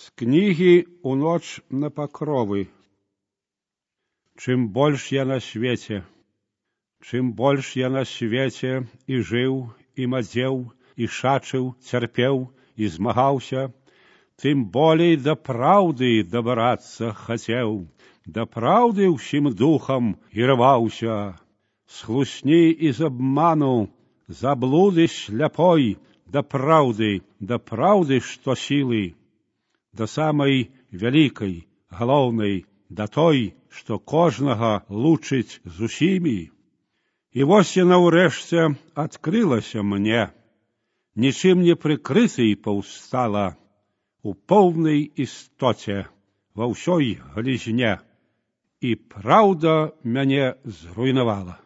З кнігі «У ноч на пакровы». Чым больш я на свеце, чым больш я на свеце і жыў, і мадзеў, і шачыў, цярпеў, і змагаўся, тым болей да праўды дабрацца хацеў, да праўды ўсім духам і рваўся. З хлусні і з абману, заблуды сляпой, да праўды, што сілы, да самай вялікай, галоўнай, да той, што кожнага лучыць з усімі. І вось яна ўрэшце адкрылася мне, нічым не прыкрытай паўстала, у поўнай істоце, ва ўсёй галізне, і праўда мяне зруйнавала.